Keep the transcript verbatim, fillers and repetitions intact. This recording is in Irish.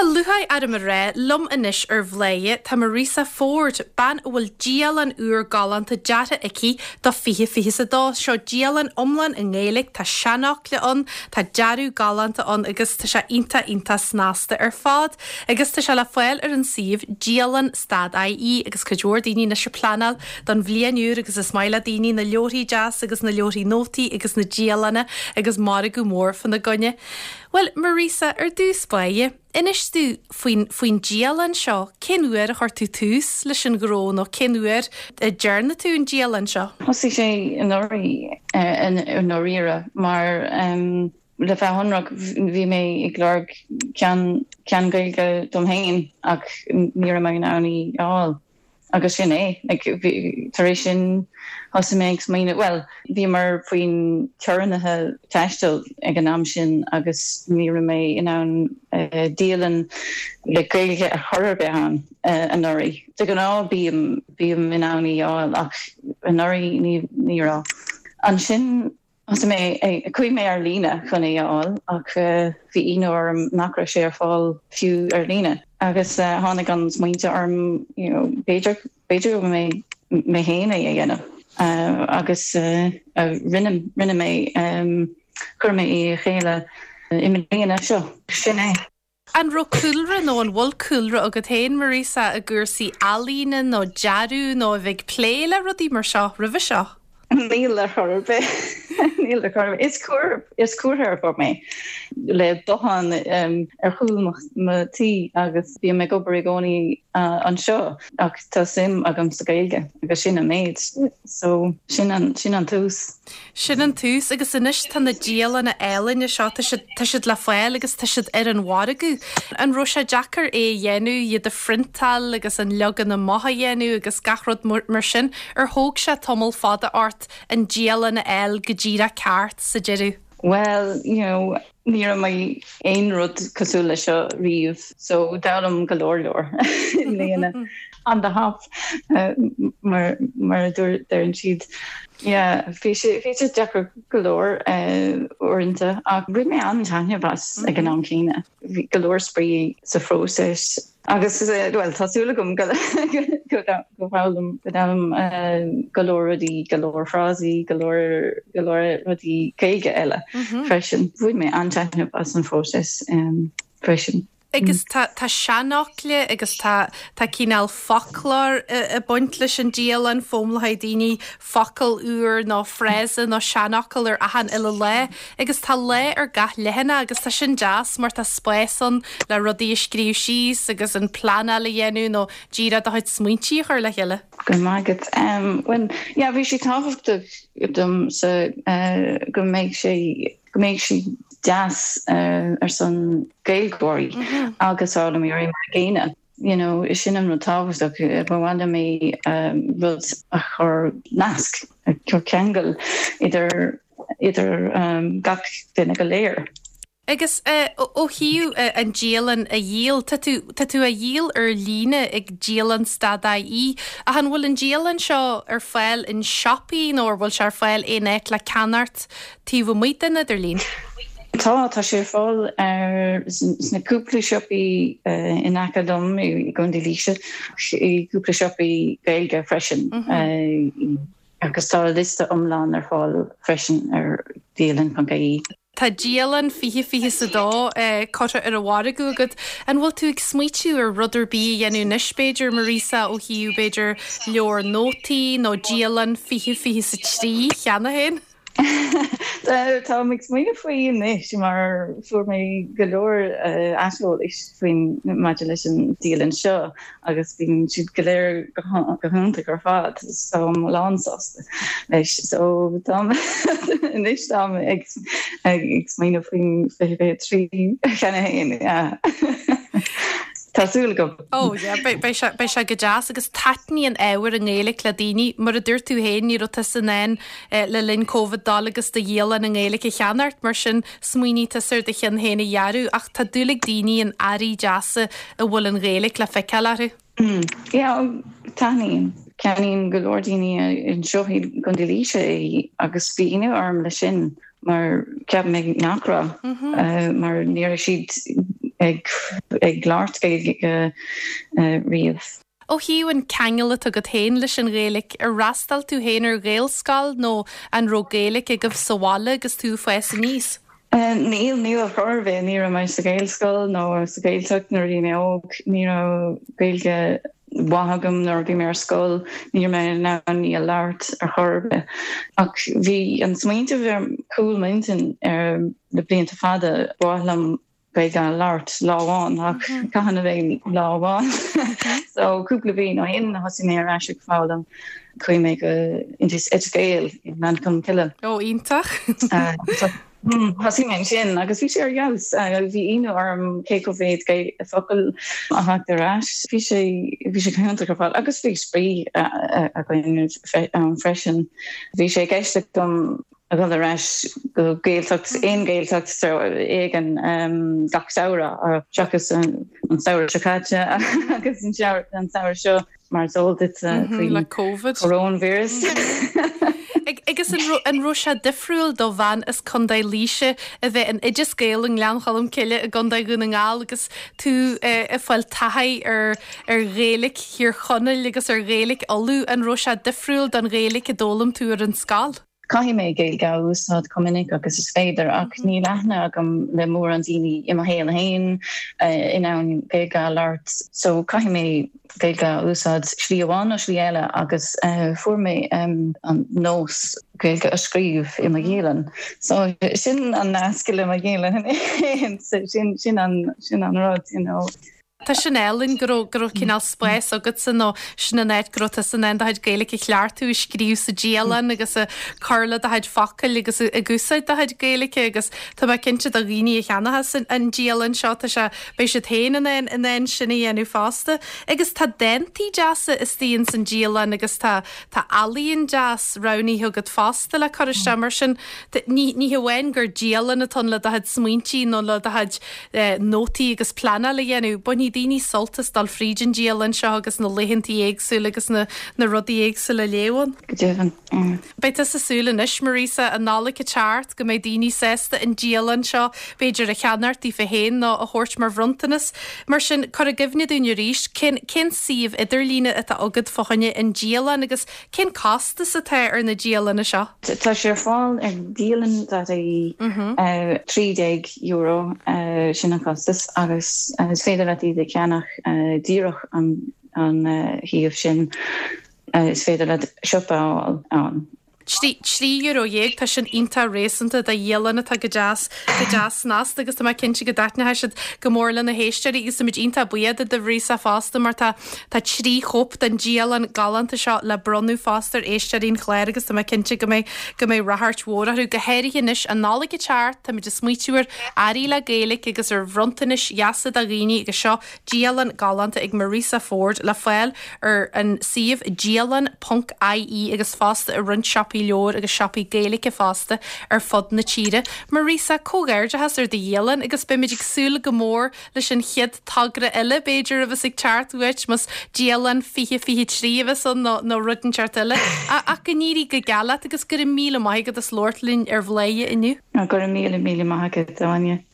lúcháir orm a rá liom anois ar Bhladhaire tá Marisa Ford, bean a bhfuil dialann úr galánta deartha aici do fiche fiche a dó seo dialann iomlán i nGaeilge tá seanfhocla ann, tá dearadh galánta ann agus tá sé iontach iontach snasta ar fad, agus tá sé le fáil ar an suíomh dialann stad IE agus cuid mhór daoine anois ag pleanáil don bhliain úr agus is maith le daoine na leabharthaí deas agus na leabharthaí nótaí agus na dialanna agus margadh mór fána gcoinne. Well Marisa ar dtús báire, Inis dúinn faoin faoin dialann seo, cén uair a chuir tú tús leis an ghnó nó cén uair a ndearna tú an dialann seo? Thosaigh sé anuraidh i ndáiríre mar um, le bheith ionraic bhí mé ag lorg ceann ceann Gaeilge dom féin ach ní raibh mé in ann í a fháil. agus sin é tar éis sin thosaigh mé smaoineamh well bhí mar faoin teorainneacha taistil ag an am sin agus ní raibh mé in ann uh, dialann le Gaeilge a chur ar bith ann uh, anuraidh. De ghnáth bím bím in ann í a fháil ach anuraidh ní ní raibh. Ansin Thosaigh mé chuaigh mé ar líne chun é a fháil ach uh, bhí ionadh orm nach raibh sé ar fáil fiú ar líne. agus uh, tháinig an smaoineamh orm you know, b'fhéidir b'fhéidir mé mé féin é a dhéanamh. Uh, agus uh, uh, rinne rinne mé um, chuir mé é le chéile i mbliana seo sin é. An raibh cúlra nó an bhfuil cúlra agat féin Marisa i gcúrsaí ealaíne nó dearadh nó a bheith ag plé le rudaí mar seo roimhe seo. Níl le chor níl le chor is cuar is cuarthóir mé le bothán um, ar chúl mo tí agus bím ag obair i gcónaí uh, anseo ach tá suim agam sa Gaeilge agus sin an méid so sin an sin an tús. Sin an tús agus anois tá na dialanna ealaíne seo tá siad le fáil agus tá siad ar an mhargadh. An raibh sé deacair é a dhéanamh iad a phriontáil agus an leagan amach a dhéanamh agus gach rud mar sin ar thóg sé tamall fada ort an dialann a fháil go díreach ceart sa deireadh. Well, you know, ní raibh mé aon rud cosúil le seo riamh, so d'fhoghlaim go leor leor bliana on the hop uh, mar mar deireann siad. Yeah, bhí sé bhí sé deacair go leor uh, uaireanta ach bhain mé an-taitneamh as ag an am céanna. Bhí go leor spraoi sa phróiseas agus uh, well tá súil agam go go bhfoghlaim go go leor rudaí go leor frásaí go leor go leor rudaí Gaeilge eile freisin. Bhain mé an-taitneamh as an phróiseas um, freisin. Agus tá tá seanfhocla agus tá tá cineál foclóir ag baint leis an dialann foghlaimeoidh daoine focal úr nó frása nó seanfhocal ar achan uile lá, agus tá lá ar gach leathanach agus tá sin deas mar tá spás ann le rudaí a scríobh síos agus an pleanáil a dhéanamh nó díreach do chuid smaointe a chur le chéile. Go maith um, when yeah, bhí sé tábhachtach dom sa uh, go mbeidh sé go mbeidh sé deas uh, ar son Gaeilgeoirí mm -hmm. agus foghlaimeoirí mar gcéanna. You know, is sin an rud tábhachtach ba mhaith mé um, rud a chur nasc a chur ceangal idir idir um, gach duine go léir. Agus uh, ó thaobh uh, an dialann a dhíol tá tú tá tú á dhíol ar líne ag dialann stad IE ach an bhfuil an dialann seo ar fáil in siopaí nó ar bhfuil sé ar fáil aon áit le ceannacht taobh amuigh den idirlíon. Tá tá sé fáil ar sna cúpla siopaí uh, in aice liom i gContae Laoise i cúpla siopaí Gaeilge freisin. Mm -hmm. uh, agus tá liosta iomlán ar fáil freisin ar dialann.ie. Tá dialann fiche fiche a dó eh, curtha ar an mhargadh agat an bhfuil tú ag smaoitiú ar rud ar bith a dhéanamh anois b'fhéidir Marisa ó thaobh b'fhéidir leabhar nótaí nó dialann fiche fiche a trí cheana féin? Tá ag smaoineamh faoi anois mar fuair mé go leor aiseolais faoin maidir leis an dialann seo agus bíonn siad go léir go hiontach ar fad so lánsásta leis so tá anois tá ag ag smaoineamh faoin fiche trí cheana féin. Tá súil agam. Ó beidh sé go deas agus taitníonn ábhar i nGaeilge le daoine mar a dúirt tú féin ní raibh tusa in ann le linn Covid dul agus do dhialann i nGaeilge a cheannacht mar sin smaoinigh tusa ar do cheann féin a dhearadh ach tá dúil ag daoine in earraí deasa a bhfuil an Ghaeilge le feiceáil orthu. Taitníonn ceannaíonn go leor daoine anseo i gContae Laoise é agus bhí ionadh orm le sin mar cheap mé nach raibh mar ní raibh siad ag ag labhairt Gaeilge riamh. Ó thaobh an ceangal atá agat féin leis an Ghaeilge ar fhreastail tú féin ar Ghaelscoil nó an raibh Gaeilge agaibh sa bhaile agus tú ag fás aníos. Níl ní a chorbe ní raibh mé sa Ghaelscoil nó sa Ghaeltacht nuair bhí mé óg ní raibh Gaeilge mhaith agam nuair bhí mé ar scoil ní mé ná ní a labhairt ar chor ar bith. Ach bhí an smaoineamh ar chúl m'intinn ar le blianta fada ba mhaith liom Gaeilge a labhairt lá amháin ach cathain a bheidh lá amháin so cúpla bliain ó shin thosaigh mé ar ais ag foghlaim chuaigh mé go Oideas Gael i nGleann Cholm Cille. Ó iontach. Thosaigh mé sin agus bhí sé ar fheabhas bhí ionadh orm cé chomh mhéad focail a tháinig ar ais bhí sé bhí sé iontach ar fad agus bhí spraoi againn freisin. Bhí sé i gceist agam a dhul ar ais go Gaeltacht aon Gaeltacht éigin um, gach samhradh seachas an samhradh seo caite agus an samhradh seo mar is eol duit mhm, le COVID coronavirus. Agus an raibh sé difriúil do bhean as Contae Laoise a bheith in Oideas Gael i nGleann Cholm Cille i gContae Dhún na nGall agus tú ag fáil taithí ar ar Ghaeilge Thír Chonaill agus ar Ghaeilge Uladh an raibh sé difriúil don Ghaeilge a d'fhoghlaim tú ar an scoil. Caithfidh mé Gaeilge a úsáid chomh minic agus is féidir ach níl aithne agam le mórán daoine i mo shaol féin in ann Gaeilge a labhairt so caithfidh mé Gaeilge a úsáid slí amháin nó slí eile agus uh, fuair mé um, an nós Gaeilge a scríobh i mo dhialann. So sin an nasc le mo dhialann sin sin an sin an rud you know. Tá sin álainn go raibh go raibh cineál spás agatsa nó sin an áit go raibh tusa in ann do chuid Gaeilge a chleachtadh a scríobh sa dialann agus a cur le do chuid focail agus ag úsáid do chuid Gaeilge agus tá mé cinnte do dhaoine a cheannóchas an dialann seo tá sé beidh siad féin in ann in ann sin a dhéanamh fosta. Agus tá dántaí deasa istigh san dialann agus tá tá ealaín deas roghnaithe agat fosta le cur isteach mar sin ní ní hamháin gur dialann atá le do chuid smaointe nó le do chuid eh, nótaí agus pleanáil a dhéanamh bainfidh daoine sult as dul fríd an dialann seo agus na laethanta éagsúla agus na, na rudaí éagsúla léamh ann. Go deimhin. Beidh tú ag súil anois Marisa an Nollaig ag teacht go mbeidh daoine sásta an dialann seo b'fhéidir a cheannacht daofa féin nó a thabhairt mar bhronntanas. Mar sin cuir i gcuimhne dúinn arís cén cén suíomh idirlíne atá agat fá choinne an dialann agus cén costas atá ar na dialanna seo. Tá sé ar fáil ar dialann.ie trí déag euro sin an costas agus is féidir leat iad a cheannach díreach an an shuíomh sin is féidir le siopa ann. Trí euro dhéag tá sin iontach réasúnta do dhialann atá go deas go deas snasta agus tá mé cinnte go dtaitneoidh siad go mór le na héisteoirí agus muid iontach buíoch de Mharisa fosta mar tá tá trí chóip den dialann galánta seo le bronnadh fosta ar éisteoirí an chláir agus tá mé cinnte go mbeidh go mbeidh ráchairt mhór orthu go háirithe anois an Nollaig ag teacht tá muid ag smaointiú ar earraí le Gaeilge agus ar bhronntanais dheasa do dhaoine agus seo dialann galánta ag Marisa Ford le fáil ar an suíomh dialann.ie agus fosta i roinnt siopaí leabhar agus siopaí Gaeilge fosta ar fud na tíre. Marisa comhghairdeachas ar do dhialann agus beimid ag súil go mór leis an chéad togra eile b'fhéidir a bheas ag teacht uait más dialann fiche fiche trí a bheas ann nó nó rud inteacht eile ach go n-éirí go geal leat agus go raibh míle maith agat as labhairt linn ar Bhladhaire inniu. Go raibh míle míle maith agat Áine.